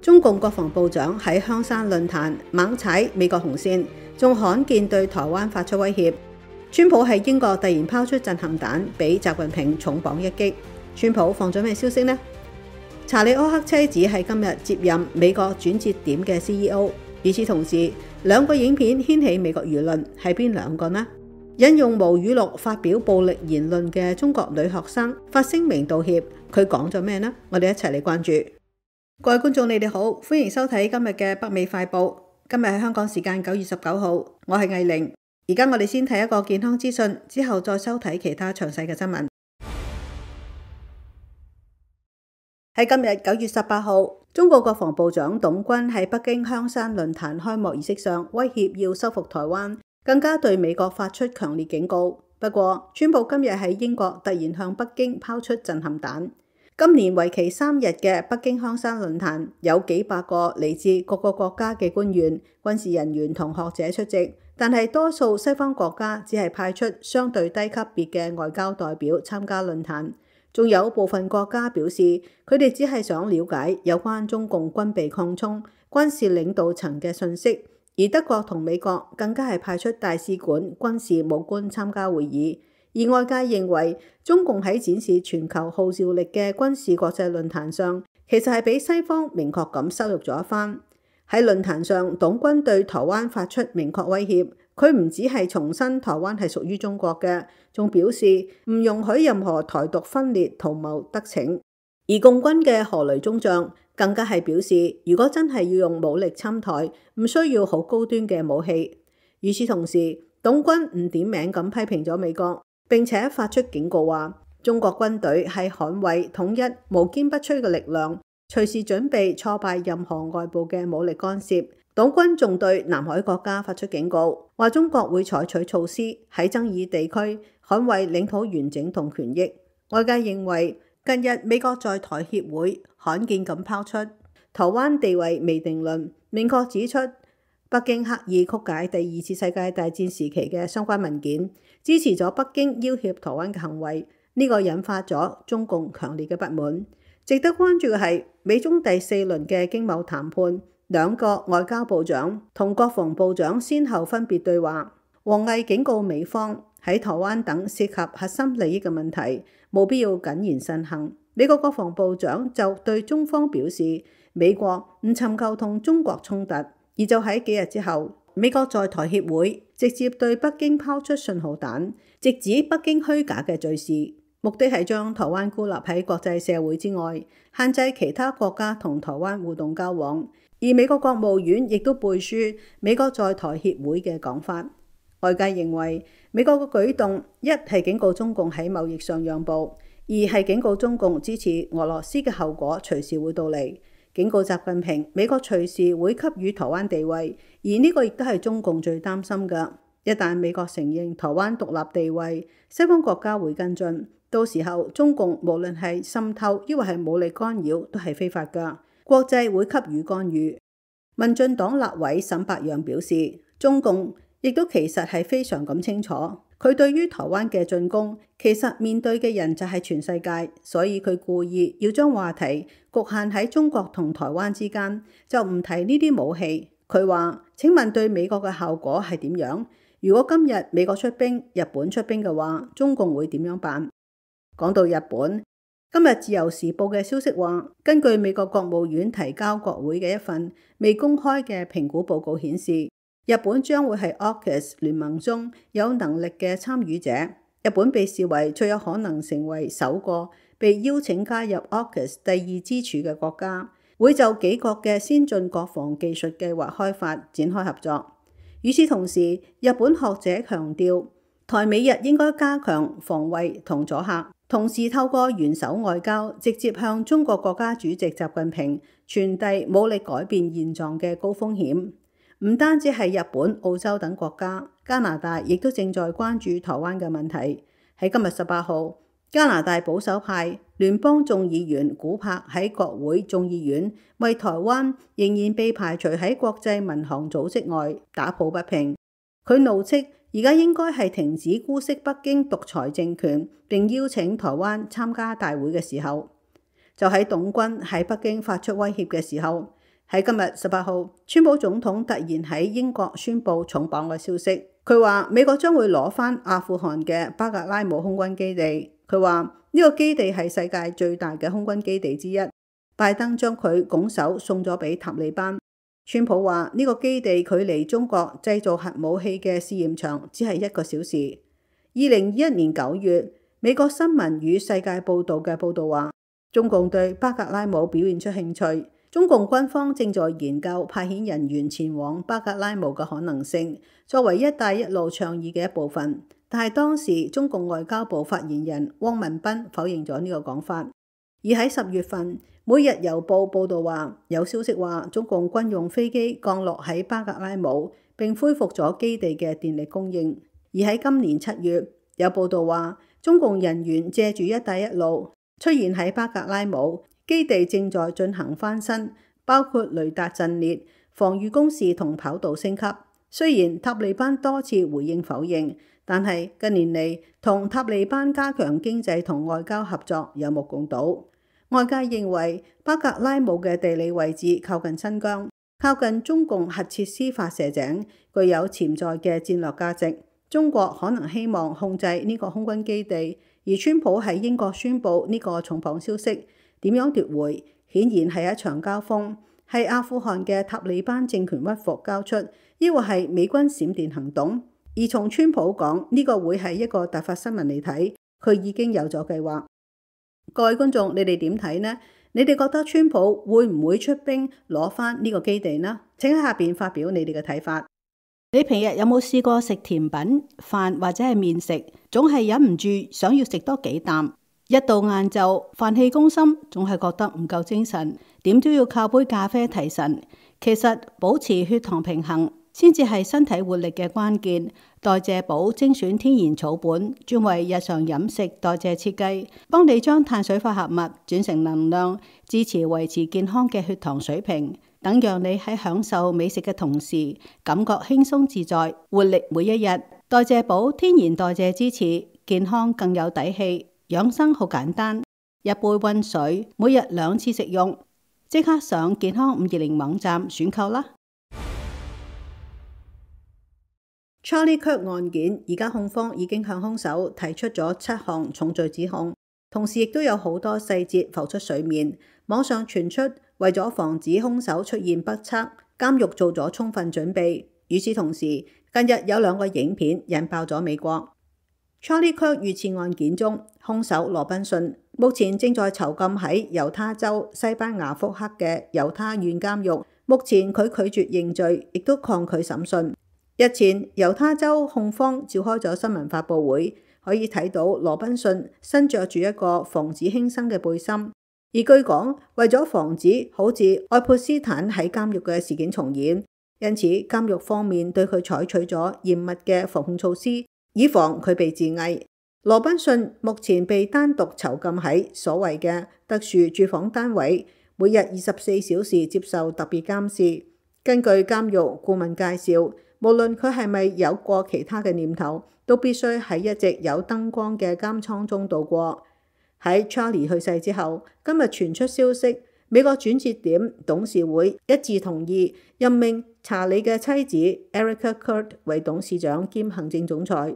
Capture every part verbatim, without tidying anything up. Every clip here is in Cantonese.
中共國防部長喺香山論壇猛踩美國紅線，仲罕見對台灣發出威脅。川普喺英國突然拋出震撼彈，俾習近平重磅一擊。川普放咗咩消息呢？查理柯克妻子係今日接任美國轉折點嘅 C E O。與此同時，兩個影片掀起美國輿論，係邊兩個呢？引用無語錄發表暴力言論嘅中國女學生發聲明道歉，佢講咗咩呢？我哋一齊嚟關注。各位觀眾，你哋好，歡迎收睇今日嘅北美快報。今日係香港時間九月十九號，我係藝玲。而家我哋先睇一個健康資訊，之後再收睇其他詳細嘅新聞。喺今日九月十八號，中國國防部長董軍喺北京香山論壇開幕儀式上威脅要收復台灣，更加對美國發出強烈警告。不過，川普今日喺英國突然向北京拋出震撼彈。今年為期三日嘅北京香山論壇，有幾百個嚟自各個國家嘅官員、軍事人員同學者出席，但係多數西方國家只係派出相對低級別嘅外交代表參加論壇。仲有部分國家表示，佢哋只係想了解有關中共軍備擴充、軍事領導層嘅信息，而德國同美國更加係派出大使館軍事武官參加會議。而外界認為，中共喺展示全球號召力嘅軍事國際論壇上，其實係俾西方明確咁羞辱咗一番。喺論壇上，董軍對台灣發出明確威脅。佢唔只係重申台灣係屬於中國嘅，仲表示唔容許任何台獨分裂圖謀得逞。而共軍嘅何雷中將更加係表示，如果真係要用武力侵台，唔需要好高端嘅武器。與此同時，董軍唔點名咁批評咗美國，並且發出警告話，中國軍隊係捍衛統一無堅不摧嘅力量，隨時準備挫敗任何外部嘅武力干涉。董軍仲對南海國家發出警告，話中國會採取措施喺爭議地區捍衛領土完整同權益。外界認為，近日美國在台協會罕見咁拋出台灣地位未定論，明確指出北京刻意曲解第二次世界大戰時期嘅相關文件，支持咗北京要挾台灣嘅行為。呢、這個引發咗中共強烈嘅不滿。值得關注嘅係美中第四輪嘅經貿談判。兩個外交部長同國防部長先後分別對話，王毅警告美方喺台灣等涉及核心利益嘅問題，冇必要謹言慎行。美國國防部長就對中方表示，美國唔尋求同中國衝突，而就喺幾日之後，美國在台協會直接對北京拋出信號彈，直指北京虛假嘅敘事，目的係將台灣孤立喺國際社會之外，限制其他國家同台灣互動交往。而美國國務院亦都背書美國在台協會嘅講法。外界認為美國嘅舉動，一係警告中共喺貿易上讓步，二係警告中共支持俄羅斯嘅後果隨時會到嚟，警告習近平美國隨時會給予台灣地位。而呢個亦都係中共最擔心嘅。一旦美國承認台灣獨立地位，西方國家會跟進，到時候中共無論係滲透抑或係武力干擾都係非法㗎。國際會給予干預。民進黨立委沈伯洋表示，中共亦都其實係非常咁清楚，佢對於台灣嘅進攻，其實面對嘅人就係全世界，所以佢故意要將話題局限喺中國同台灣之間，就唔提呢啲武器。佢話：請問對美國嘅效果係點樣？如果今日美國出兵，日本出兵嘅話，中共會點樣辦？講到日本。今日自由時報嘅消息話，根據美國國務院提交國會嘅一份未公開嘅評估報告顯示，日本將會係 A U K U S 聯盟中有能力嘅參與者。日本被視為最有可能成為首個被邀請加入 A U K U S 第二支柱嘅國家，會就幾國嘅先進國防技術計劃開發展開合作。與此同時，日本學者強調，台美日應該加強防衛同阻嚇。同時透過元首外交，直接向中國國家主席習近平傳遞武力改變現狀嘅高風險。唔單止係日本、澳洲等國家，加拿大亦都正在關注台灣嘅問題。喺今日十八號，加拿大保守派聯邦眾議員古柏喺國會眾議院為台灣仍然被排除喺國際民航組織外打抱不平。佢怒斥，而家應該係停止姑息北京獨裁政權，並邀請台灣參加大會嘅時候。就喺董軍喺北京發出威脅嘅時候，喺今日十八號，川普總統突然喺英國宣布重磅嘅消息。佢話美國將會攞返阿富汗嘅巴格拉姆空軍基地。佢話呢個基地係世界最大嘅空軍基地之一。拜登將佢拱手送咗俾塔利班。川普話呢個基地距離中國製造核武器嘅試驗場只係一個小時。二零二一年九月，美國新聞與世界報導嘅報導話，中共對巴格拉姆表現出興趣。中共軍方正在研究派遣人員前往巴格拉姆嘅可能性，作為一帶一路倡議嘅一部分。但係當時中共外交部發言人汪文斌否認咗呢個講法。而喺十月份，每日郵報報導話，有消息話中共軍用飛機降落喺巴格拉姆，並恢復咗基地嘅電力供應。而喺今年七月，有報導話中共人員借住一帶一路出現喺巴格拉姆。基地正在進行翻新，包括雷達陣列、防禦工事同跑道升級。雖然塔利班多次回應否認，但係近年嚟同塔利班加強經濟同外交合作有目共睹。外界認為巴格拉姆嘅地理位置靠近新疆，靠近中共核設施發射井，具有潛在嘅戰略價值。中國可能希望控制呢個空軍基地，而川普喺英國宣布呢個重磅消息。點樣奪回？顯然係一場交鋒，係阿富汗嘅塔利班政權屈服交出，抑或係美軍閃電行動？而從川普講呢個會係一個突發新聞嚟睇，佢已經有咗計劃。各位觀眾，你哋點睇呢？你哋覺得川普會唔會出兵攞返呢個基地呢？請喺下邊發表你哋嘅睇法。你平日有冇試過食甜品、飯或者係麵食，總係忍唔住想要食多幾啖？一到晏晝，飯氣攻心，總係覺得唔夠精神，點都要靠杯咖啡提神。其實保持血糖平衡先至係身體活力嘅關鍵。代謝寶精選天然草本，專為日常飲食代謝設計，幫你將碳水化合物轉成能量，支持維持健康嘅血糖水平，等讓你喺享受美食嘅同時，感覺輕鬆自在，活力每一日。代謝寶天然代謝支持，健康更有底氣。養生好簡單，一杯溫水，每日兩次食用，即刻上健康五二零網站選購啦。Charlie Kirk 案件，而家控方已經向兇手提出咗七項重罪指控，同時亦都有好多細節浮出水面。網上傳出為咗防止兇手出現不測，監獄做咗充分準備。與此同時，近日有兩個影片引爆咗美國。Charlie Kirk 遇刺案件中，兇手羅賓遜目前正在囚禁喺猶他州西班牙福克嘅猶他縣監獄。目前佢拒絕認罪，亦都抗拒審訊。日前，猶他州控方召開咗新聞發佈會，可以睇到羅賓遜身着住一個防止輕生嘅背心。而據講，為咗防止好似愛潑斯坦喺監獄嘅事件重演，因此監獄方面對佢採取咗嚴密嘅防控措施，以防佢被自縊。羅賓遜目前被單獨囚禁喺所謂嘅特殊住房單位，每日二十四小時接受特別監視。根據監獄顧問介紹，無論佢係咪有過其他嘅念頭，都必須喺一直有燈光嘅監倉中度過。喺 Charlie 去世之後，今日傳出消息，美國轉折點董事會一致同意任命查理嘅妻子 Erica Kirk 為董事長兼行政總裁。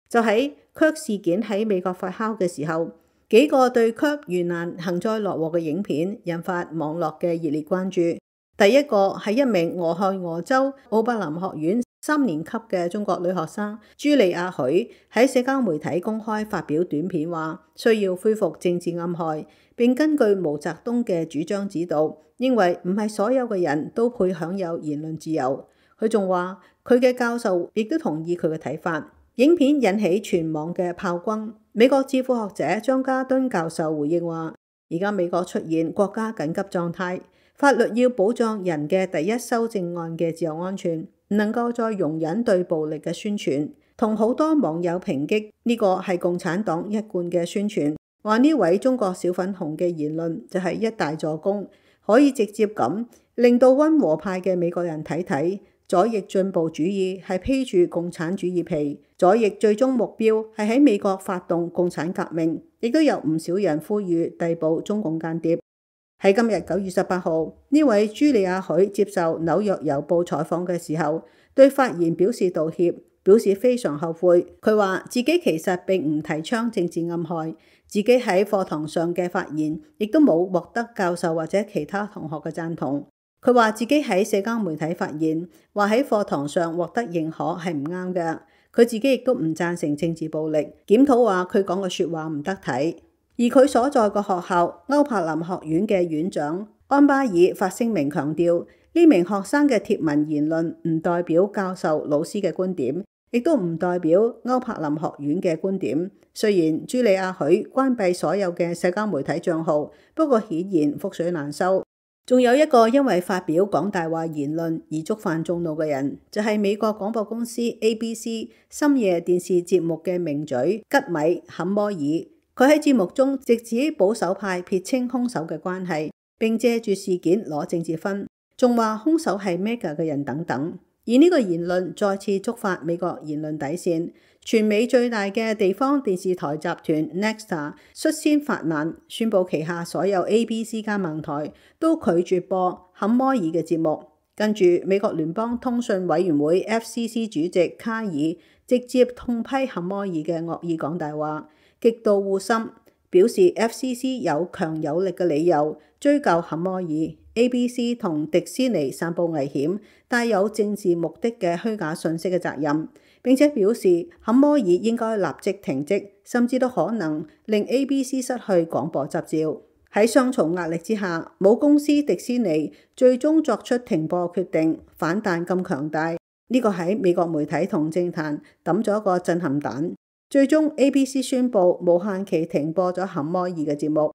就喺 Kirk 事件喺美國發酵嘅時候，幾個對 Kirk 遇難幸災樂禍嘅影片引發網絡嘅熱烈關注。第一個係一名俄亥俄州奧柏林學院三年級嘅中國女學生朱莉亞許喺社交媒體公開發表短片，話需要恢復政治暗害，並根據毛澤東嘅主張指導，認為唔係所有嘅人都配享有言論自由。佢仲話佢嘅教授亦都同意佢嘅睇法。影片引起全網嘅炮轟。美國智庫學者張家敦教授回應話，而家美國出現國家緊急狀態，法律要保障人嘅第一修正案嘅自由安全，唔能夠再容忍對暴力嘅宣傳。同好多網友抨擊呢個係共產黨一貫嘅宣傳，話呢位中國小粉紅嘅言論就係一大助攻，可以直接咁令到溫和派嘅美國人睇睇。左翼進步主義係披住共產主義皮，左翼最終目標係喺美國發動共產革命，亦都有唔少人呼籲逮捕中共間諜。喺今日九月十八號，呢位朱莉亞許接受紐約郵報採訪嘅時候，對發言表示道歉，表示非常後悔。佢話自己其實並唔提倡政治暗害，自己喺課堂上嘅發言亦都冇獲得教授或者其他同學嘅贊同。佢話自己喺社交媒體發言，話喺課堂上獲得認可係唔啱嘅。佢自己亦都唔贊成政治暴力，檢討話佢講嘅説話唔得體。而佢所在個學校歐柏林學院嘅院長安巴爾發聲明強調，呢名學生嘅貼文言論唔代表教授老師嘅觀點，亦都唔代表歐柏林學院嘅觀點。雖然朱莉亞許關閉所有嘅社交媒體賬號，不過顯然覆水難收。仲有一個因為發表講大話言論而觸犯眾怒嘅人，就係美國廣播公司 A B C 深夜電視節目嘅名嘴吉米坎摩爾。佢喺節目中直指保守派撇清兇手嘅關係，並借住事件攞政治分，仲話兇手係 mega 嘅人等等。而呢個言論再次觸發美國言論底線，全美最大嘅地方電視台集團 Nexstar 率先發難，宣布旗下所有 A B C 加盟台都拒絕播坎摩爾嘅節目。跟住美國聯邦通訊委員會 F C C 主席卡爾直接痛批坎摩爾嘅惡意講大話，極度惡心，表示 F C C 有強有力嘅理由追究坎摩爾、A B C 同迪士尼散佈危險、帶有政治目的嘅虛假信息嘅責任，並且表示坎摩爾應該立即停職，甚至都可能令 A B C 失去廣播執照。喺雙重壓力之下，母公司迪士尼最終作出停播決定，反彈咁強大，呢個喺美國媒體同政壇抌咗一個震撼彈。最終 A B C 宣布無限期停播咗坎摩爾嘅節目。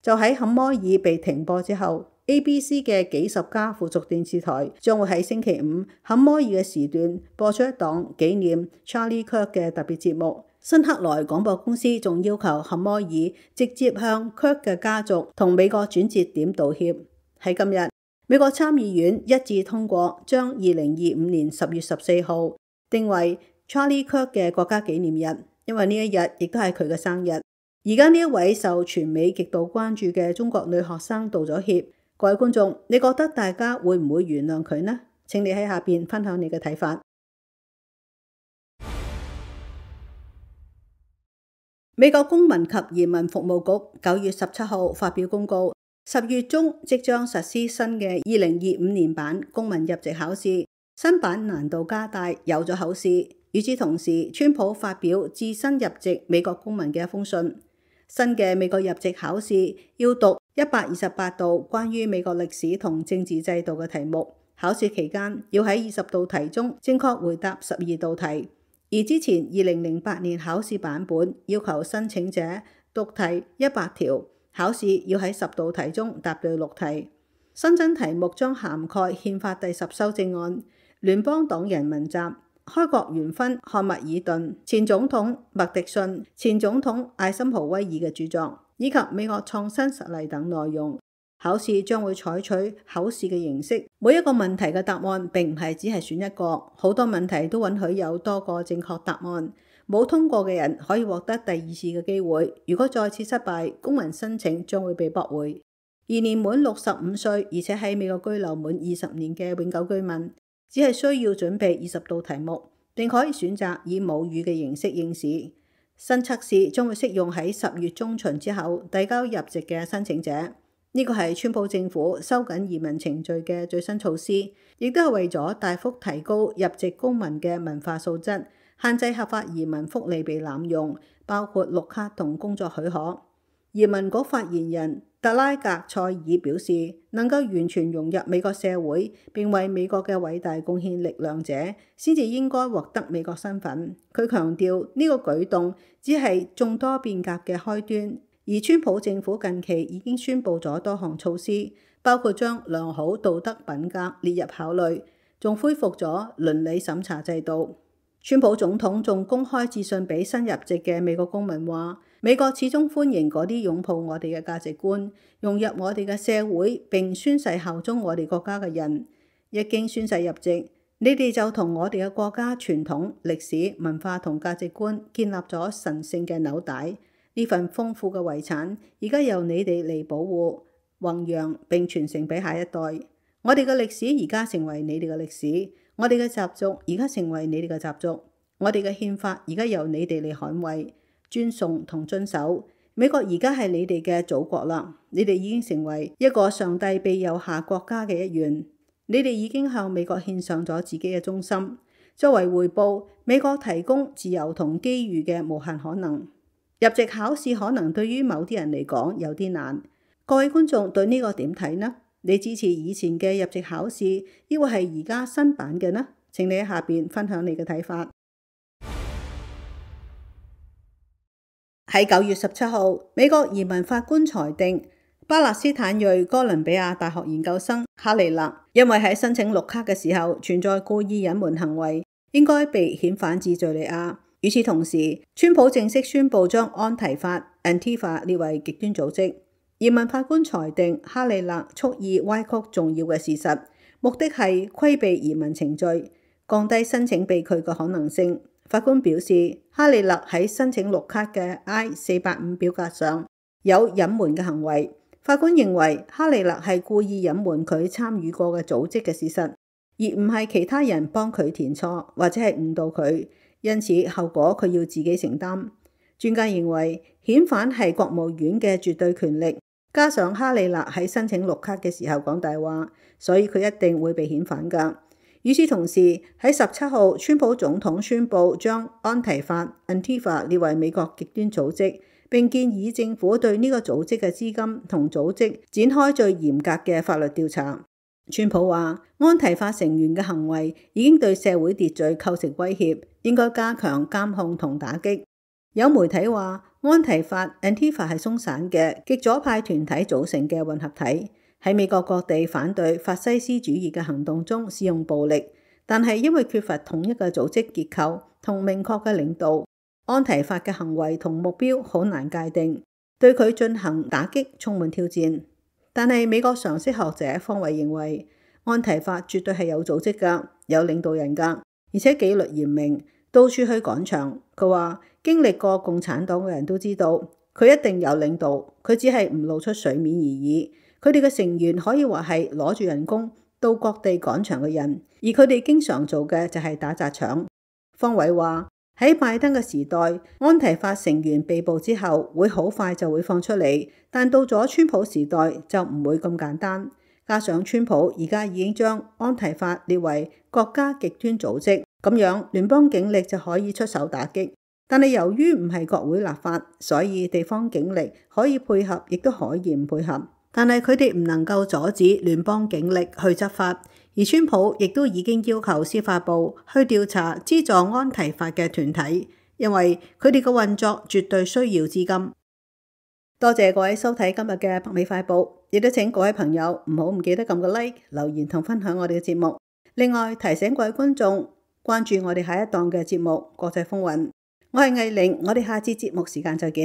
就喺坎摩爾被停播之後， A B C 嘅幾十家附屬電視台將會喺星期五坎摩爾嘅時段播出一檔紀念 Charlie Kirk 嘅特別節目。新克萊廣播公司仲要求坎摩爾直接向 Kirk 嘅家族同美國轉折點道歉。喺今日，美國參議院一致通過將二零二五年十月十四號定為 Charlie Kirk 嘅國家紀念日，因為呢一日亦都係佢嘅生日。而家呢一位受全美極度關注嘅中國女學生道咗歉。各位觀眾，你覺得大家會唔會原諒佢呢？請你喺下邊分享你嘅睇法。美國公民及移民服務局九月十七號發表公告，十月中即將實施新嘅二零二五年版公民入籍考試，新版難度加大，有咗口試。與此同時，川普發表致新入籍美國公民嘅一封信。新嘅美國入籍考試要讀一百二十八道關於美國歷史同政治制度嘅題目，考試期間要喺二十道題中正確回答十二道題。而之前二零零八年考試版本要求申請者讀題一百條，考試要喺十道題中答對六題。新增題目將涵蓋憲法第十修正案、聯邦黨人文集、開國元勳漢密爾頓、前總統麥迪遜、前總統艾森豪威爾嘅著作，以及美國創新實例等內容。考試將會採取口試嘅形式，每一個問題嘅答案並唔係只係選一個，好多問題都允許有多個正確答案。冇通過嘅人可以獲得第二次嘅機會，如果再次失敗，公民申請將會被駁回。而年滿六十五歲而且喺美國居留滿二十年嘅永久居民，只係需要準備二十道題目，並可以選擇以母語嘅形式應試。新測試將會適用喺十月中旬之後遞交入籍嘅申請者。呢個係川普政府收緊移民程序嘅最新措施，亦都係為咗大幅提高入籍公民嘅文化素質，限制合法移民福利被濫用，包括綠卡同工作許可。移民局發言人特拉格塞爾表示，能夠完全融入美國社會並為美國嘅偉大貢獻力量者，先至應該獲得美國身份。佢強調呢個舉動只係眾多變革嘅開端。而川普政府近期已經宣布咗多項措施，包括將良好道德品格列入考慮，仲恢復咗倫理審查制度。川普總統仲公開致信俾新入籍嘅美國公民話，美國始終歡迎嗰啲擁抱我哋嘅價值觀、融入我哋嘅社會並宣誓效忠我哋國家嘅人。一經宣誓入籍，你哋就同我哋嘅國家傳統、歷史、文化同價值觀建立咗神聖嘅紐帶。呢份豐富嘅遺產，而家由你哋嚟保護。弘揚並傳承俾下一代。我哋嘅歷史而家成為你哋嘅歷史，我哋嘅習俗而家成為你哋嘅習俗，我哋嘅憲法而家由你哋嚟捍衛、尊崇同遵守。美國而家係你哋嘅祖國啦，你哋已經成為一個上帝庇佑下國家嘅一員。你哋已經向美國獻上咗自己嘅忠心，作為回報，美國提供自由同機遇嘅無限可能。入籍考試可能對於某啲人嚟講有啲難，各位觀眾對呢個點睇呢？你支持以前嘅入籍考試，抑或係而家新版嘅呢？請你喺下邊分享你嘅睇法。喺九月十七號，美國移民法官裁定巴勒斯坦裔哥倫比亞大學研究生哈利勒因為喺申請綠卡嘅時候存在故意隱瞞行為，應該被遣返至敘利亞。與此同時，川普正式宣布將安提法 Antifa 列為極端組織。移民法官裁定哈利勒蓄意歪曲重要嘅事實，目的係規避移民程序，降低申請被拒嘅可能性。法官表示，哈利勒喺申請綠卡嘅 I 四八五表格上有隱瞞嘅行為。法官認為哈利勒係故意隱瞞佢參與過嘅組織嘅事實，而唔係其他人幫佢填錯或者係誤導佢，因此後果佢要自己承擔。專家認為遣返係國務院嘅絕對權力，加上哈利勒喺申請綠卡嘅時候講大話，所以佢一定會被遣返㗎。與此同時，喺十七號，川普總統宣布將安提法 Antifa 列為美國極端組織，並建議政府對呢個組織嘅資金同組織展開最嚴格嘅法律調查。川普話，安提法成員嘅行為已經對社會秩序構成威脅，應該加強監控同打擊。有媒體話，安提法 Antifa 係鬆散嘅極左派團體組成嘅混合體，喺美國各地反對法西斯主義嘅行動中使用暴力，但係因為缺乏統一嘅組織結構同明確嘅領導，安提法嘅行為同目標好難界定，對佢進行打擊充滿挑戰。但係美國常識學者方偉認為，安提法絕對係有組織㗎，有領導人㗎，而且紀律嚴明，到處去趕場。佢話經歷過共產黨嘅人都知道，佢一定有領導，佢只係唔露出水面而已。佢哋嘅成員可以話係攞住人工到各地趕場嘅人，而佢哋經常做嘅就係打砸搶。方偉話喺拜登嘅時代，安提法成員被捕之後會好快就會放出嚟，但到咗川普時代就唔會咁簡單。加上川普而家已經將安提法列為國家極端組織，咁樣聯邦警力就可以出手打擊。但係由於唔係國會立法，所以地方警力可以配合，亦都可以唔配合。但係佢哋唔能夠阻止聯邦警力去執法，而川普亦都已經要求司法部去調查資助安提法嘅團體，因為佢哋嘅運作絕對需要資金。多謝各位收睇今日嘅北美快報，亦都請各位朋友唔好唔記得撳個 like、留言同分享我哋嘅節目。另外提醒各位觀眾關注我哋下一檔嘅節目《國際風雲》。我係藝玲，我哋下次節目時間再見。